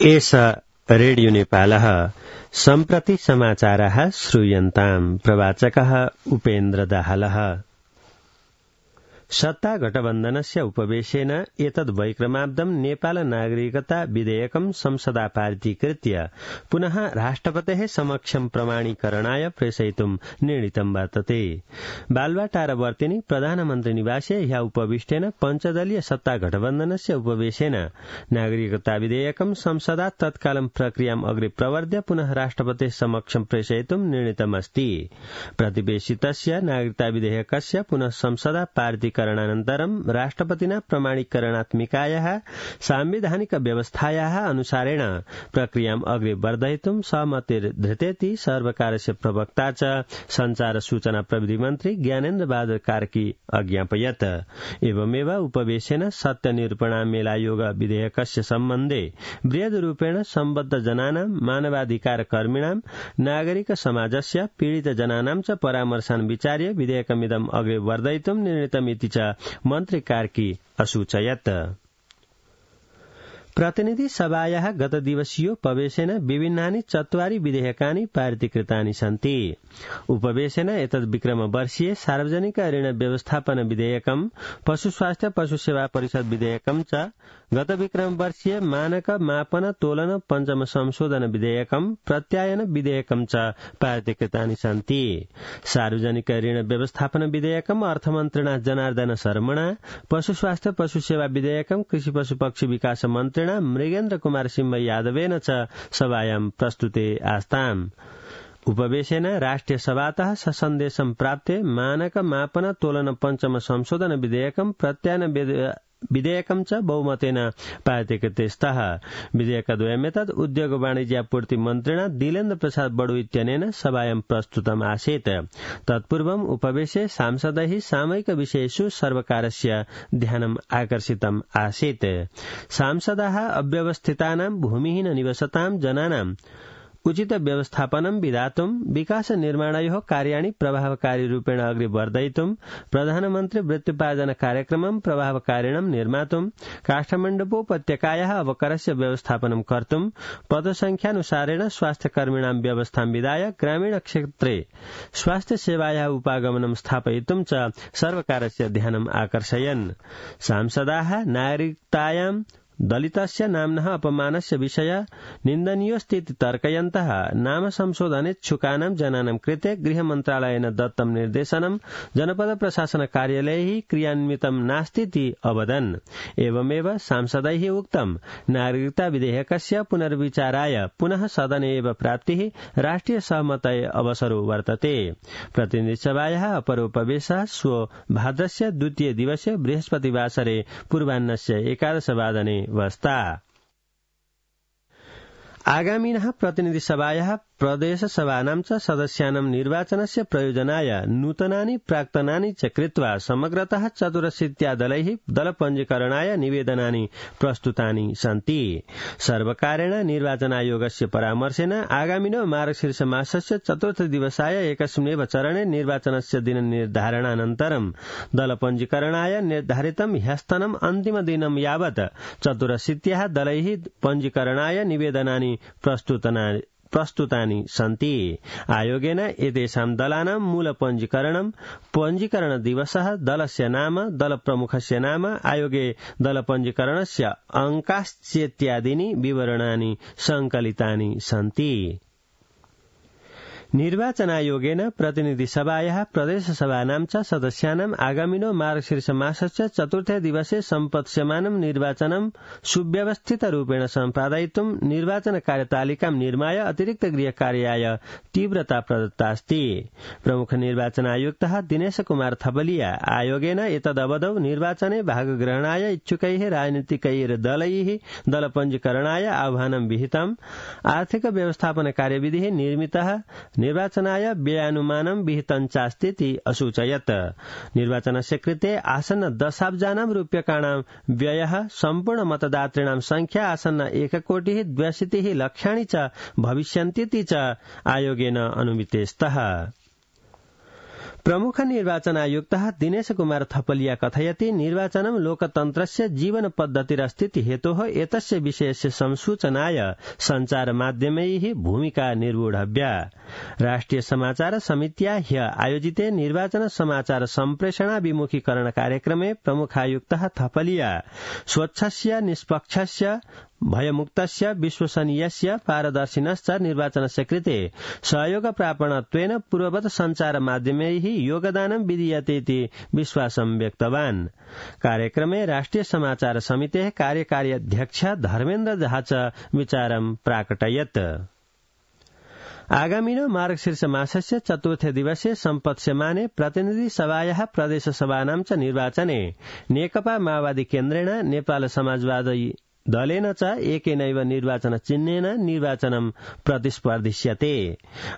एष रेडियो नेपालः सम्प्रति समाचारः श्रूयन्ताम्। प्रवाचकः उपेन्द्र दाहालः। सत्ता गठबन्धनस्य उपवेशेन एतद्वैक्रमाब्दं नेपाल नागरिकता विधेयकं संसदा पारितीकृत्य पुनः राष्ट्रपतेः समक्षं प्रमाणीकरणाय प्रेषयितुं निर्णीतं वर्तते। बालुवाटारवर्तिनि प्रधानमन्त्री निवासे ह्यः उपविष्टेन पञ्चदलीय सत्ता गठबन्धनस्य उपवेशेन नागरिकता विधेयकं संसदा तत्कालं प्रक्रियाम् अग्रे प्रवर्ध्य पुनः राष्ट्रपतेः समक्षं प्रेषयितुं निर्णीतमस्ति। प्रतिवेशितस्य नागरिकता विधेयकस्य पुनः संसदा पारितीकरणानन्तरं राष्ट्रपतिना प्रमाणीकरणात्मिकायाः सांविधानिक व्यवस्थायाः अनुसारेण प्रक्रियाम् अग्रे वर्धयितुं सहमतिर्धृतेति सर्वकारस्य प्रवक्ता च संचार सूचना प्रविधि मन्त्री ज्ञानेन्द्र बहादुर कार्की अज्ञापयत्। एवमेव उपवेशेन सत्यनिरूपणामेलायोग विधेयकस्य सम्बन्धे बृहद्रूपेण सम्बद्ध जनानां मानवाधिकार कर्मिणां नागरिक समाजस्य पीडित जनानां च परामर्शान् विचार्य विधेयकमिदम् अग्रे वर्धयितुं निर्णीतमिति च मन्त्री कार्की असूचयत्। प्रतिनिधि सभायाः गतदिवसीयोपवेशेन विभिन्नानि 4 विधेयकानि पारितीकृतानि सन्ति। उपवेशेन एतद् विक्रमवर्षीय सार्वजनिक ऋण व्यवस्थापन विधेयकं, पशु स्वास्थ्य पशु सेवा परिषद विधेयकं च, गत विक्रमवर्षीय मानक मापन तोलन पञ्चम संशोधन विधेयकं, प्रत्यायन विधेयकं च पारितीकृतानि सन्ति। सार्वजनिक ऋण व्यवस्थापन विधेयकं अर्थमन्त्रिणा जनार्दन शर्मणा, पशु स्वास्थ्य पशु सेवा विधेयकं कृषि पशु पक्षी विकास मन्त्रिणा मृगेन्द्र कुमार सिंह यादवेन च सभायां प्रस्तुते आस्ताम्। उपवेशेन राष्ट्रिय सभातः सन्देशं प्राप्ते मानक मापन तोलन पञ्चम संशोधन विधेयकं, प्रत्यायन विधेयकं च बहुमतेन पारितीकृते स्तः। विधेयकद्वयमेतद् उद्योग वाणिज्यापूर्ति मन्त्रिणा दिलेन्द्र प्रसाद बडु इत्यनेन सभायां प्रस्तुतम् आसीत्। तत्पूर्वम् उपवेशे सांसदैः सामयिक विषयेषु सर्वकारस्य ध्यानम् आकर्षितम् आसीत्। सांसदाः अव्यवस्थितानां भूमिहीन निवसतां जनानां उचित व्यवस्थापनं विधातुं, विकास निर्माणयोः कार्याणि प्रभावकारी रूपेण अग्रे वर्धयितुं, प्रधानमन्त्री वृत्त्युपार्जन कार्यक्रमं प्रभावकारिणं निर्मातुं, काठमाण्डूपत्यकायाः अवकरस्य व्यवस्थापनं कर्तुं, पदसंख्यानुसारेण स्वास्थ्यकर्मिणां व्यवस्थां विधाय ग्रामीण क्षेत्रे स्वास्थ्य सेवायाः उपागमनं स्थापयितुं च सर्वकारस्य ध्यानम् आकर्षयन्। सांसदाः नागरिकतायां दलितस्य नाम्नः अपमानस्य विषय निन्दनीयोऽस्ति इति तर्कयन्तः नाम संशोधनेच्छुकानां जनानां कृते गृहमन्त्रालयेन दत्तं निर्देशनं जनपद प्रशासन कार्यालयैः क्रियान्वितं नास्तीति अवदन्। एवमेव सांसदैः उक्तं नागरिकता विधेयकस्य पुनर्विचाराय पुनः सदने एव प्राप्तिः राष्ट्रिय सहमतये अवसरो वर्तते। प्रतिनिधिसभायाः अपरोपवेशः श्वो भाद्रस्य 2 दिवसे बृहस्पतिवासरे पूर्वाह्नस्य 11 वादने वस्ता। आगामिनः प्रतिनिधिसभायाः प्रदेशसभानां च सदस्यानां निर्वाचनस्य प्रयोजनाय नूतनानि प्राक्तनानि च कृत्वा समग्रतः 84 दलैः दलपञ्जीकरणाय निवेदनानि प्रस्तुतानि सन्ति। सर्वकारेण निर्वाचन आयोगस्य परामर्शेन आगामिनो मार्गशीर्ष मासस्य 4 दिवसाय एकस्मिन्नेव चरणे निर्वाचनस्य दिन निर्धारणानन्तरं दलपञ्जीकरणाय निर्धारितं ह्यस्तनम् अन्तिम दिनं यावत् 84 दलैः पञ्जीकरणाय निवेदनानि प्रस्तुतानि सन्ति। आयोगेन एतेषां दलानां मूल पञ्जीकरण दिवसः, दलस्य नाम, दल प्रमुखस्य नाम, आयोगे दल पञ्जीकरणस्य अंकाश्चेत्यादीनि विवरणानि संकलितानि सन्ति। निर्वाचनायोगेन प्रतिनिधिसभायाः प्रदेशसभानां च सदस्यानाम् आगामिनो मार्गशीर्ष मासस्य 4 दिवसे सम्पत्स्यमानं निर्वाचनं सुव्यवस्थितरूपेण सम्पादयितुं निर्वाचन कार्यतालिकां निर्माय अतिरिक्त गृहकार्याय तीव्रता प्रदत्तास्ति। प्रमुख निर्वाचन आयुक्तः दिनेश कुमार थपलिया आयोगेन एतदवधौ निर्वाचने भागग्रहणाय इच्छुकैः राजनीतिकैर्दलैः दलपञ्जीकरणाय आह्वानं विहितम्। आर्थिक व्यवस्थापन कार्यविधिः निर्मितः, निर्वाचनाय व्ययानुमानं विहितं चास्तीति असूचयत्। निर्वाचनस्य कृते आसन्न दशाब्जानां रूप्यकाणां व्ययः, सम्पूर्ण मतदातॄणां संख्या आसन्न 1,62,00,000 च भविष्यन्तीति च आयोगेन अनुमिते स्तः। प्रमुख निर्वाचन आयुक्तः दिनेश कुमार थपलिया कथयति निर्वाचनं लोकतन्त्रस्य जीवन पद्धतिरस्ति हेतोः एतस्य विषयस्य संसूचनाय सञ्चार माध्यमैः भूमिका निर्वोढव्या। राष्ट्रिय समाचार समित्या ह्य आयोजिते निर्वाचन समाचार सम्प्रेषणाभिमुखीकरण कार्यक्रमे प्रमुखायुक्तः थपलिया स्वच्छस्य निष्पक्षस्य भयमुक्तस्य विश्वसनीयस्य पारदर्शिनश्च निर्वाचनस्य कृते सहयोगप्रापणत्वेन पूर्ववत् सञ्चार माध्यमैः योगदानं विधीयते इति विश्वासं व्यक्तवान्। कार्यक्रमे राष्ट्रिय समाचार समितेः कार्यकारी अध्यक्ष धर्मेन्द्र झा च विचारं प्राकटयत्। आगामिनो मार्गशीर्ष मासस्य चतुर्थे दिवसे सम्पत्स्यमाने प्रतिनिधि सभायाः प्रदेश सभानां च निर्वाचने नेकपा माओवादी केन्द्रेण नेपाल समाजवादी दलेन च एकेनैव निर्वाचन चिह्नेन निर्वाचनं प्रतिस्पर्धिष्यते।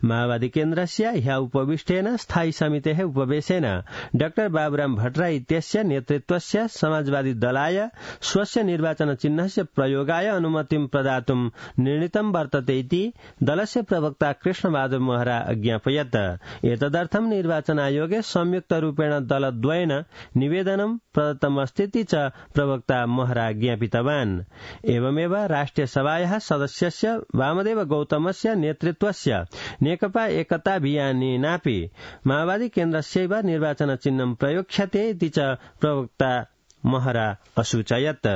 माओवादी केन्द्रस्य ह्य उपविष्टेन स्थायी समितेः उपवेशेन डाक्टर बाबुराम भट्टराई इत्यस्य नेतृत्वस्य समाजवादी दलाय स्वस्य निर्वाचन चिह्नस्य प्रयोगाय अनुमतिं प्रदातुं निर्णीतं वर्तते इति दलस्य प्रवक्ता कृष्णबहादुर महरा अज्ञापयत्। एतदर्थं निर्वाचन आयोगे संयुक्तरूपेण दलद्वयेन निवेदनं प्रदत्तमस्तीति च प्रवक्ता महरा ज्ञापितवान्। एवमेव राष्ट्रिय सभायाः सदस्यस्य वामदेव गौतमस्य नेतृत्वस्य नेकपा एकताभियानेनापि माओवादी केन्द्रस्यैव निर्वाचन चिह्नं प्रयोक्ष्यते इति च प्रवक्ता महरा असूचयत्।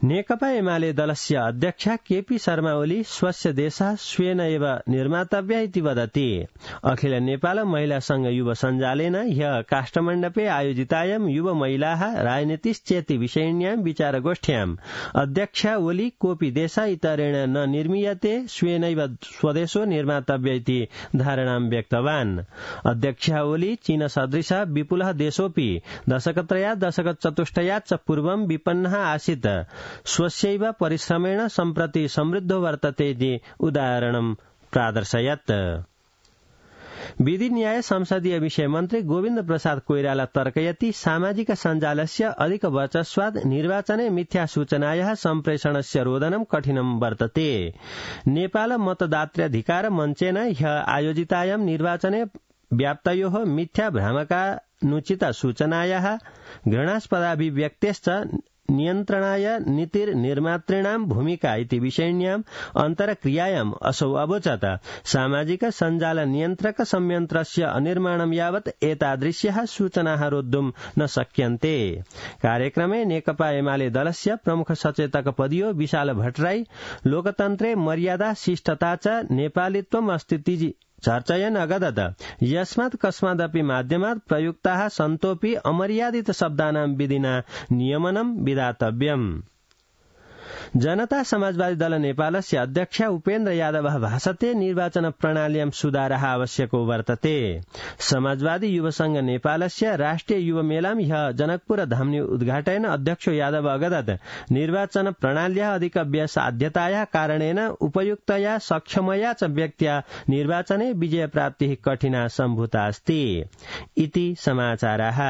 नेकपा एमाले दलस्य अध्यक्ष केपी शर्मा ओली स्वस्य देशः स्वेन एव निर्मातव्य इति वदति। अखिल नेपाल महिला संघ युव सञ्जालेन ह्यः काष्ठमण्डपे आयोजितायां युव महिलाः राजनीतिश्चेति विषयिण्यां विचारगोष्ठ्याम् अध्यक्ष ओली कोऽपि देशः इतरेण न निर्मीयते स्वेनैव स्वदेशो निर्मातव्य इति धारणां व्यक्तवान्। अध्यक्ष ओली चीन सदृशः विपुलः देशोऽपि दशकत्रयात् दशकचतुष्टयात् च पूर्वं विपन्नः आसीत् स्वस्यैव परिश्रमेण सम्प्रति समृद्धो वर्तते इति उदाहरणं प्रादर्शयत्। विधि न्याय संसदीय विषय मन्त्री गोविन्द प्रसाद कोइराला तर्कयति सामाजिक सञ्जालस्य अधिक वर्चस्वात् निर्वाचने मिथ्या सूचनायाः सम्प्रेषणस्य रोधनं कठिनं वर्तते। नेपाल मतदात्राधिकार मञ्चेन ह्यः आयोजितायां निर्वाचने व्याप्तयोः मिथ्या भ्रामकानुचित सूचनायाः घृणास्पदाभिव्यक्तेश्च नियन्त्रणाय नीतिर्निर्मातॄणां भूमिका इति विषयिण्याम् अन्तरक्रियायाम् असौ अवोचत्। सामाजिक सञ्जाल नियन्त्रक संयन्त्रस्य अनिर्माणं यावत् एतादृश्याः सूचनाः रोद्धुं न शक्यन्ते। कार्यक्रमे नेकपा एमाले दलस्य प्रमुख सचेतक पदीयो विशाल भट्टराई लोकतन्त्रे मर्यादा शिष्टता च नेपालित्वम् अस्ति चर्चयन् अगदत्। यस्मात् कस्मादपि माध्यमात् प्रयुक्ताः सन्तोऽपि अमर्यादित शब्दानां विधिना नियमनं विधातव्यम्। जनता समाजवादी दल नेपालस्य अध्यक्ष उपेन्द्र यादवः भाषते निर्वाचन प्रणाल्यां सुधारः आवश्यको वर्तते। समाजवादी युव संघ नेपालस्य राष्ट्रिय युव मेलां ह्यः जनकपुर धाम्नि उद्घाटयन् अध्यक्ष यादव अगदत् निर्वाचन प्रणाल्याः अधिकव्यसाध्यतायाः कारणेन उपयुक्तया सक्षमया च व्यक्त्या निर्वाचने विजयप्राप्तिः कठिना सम्भूता अस्ति इति समाचाराः।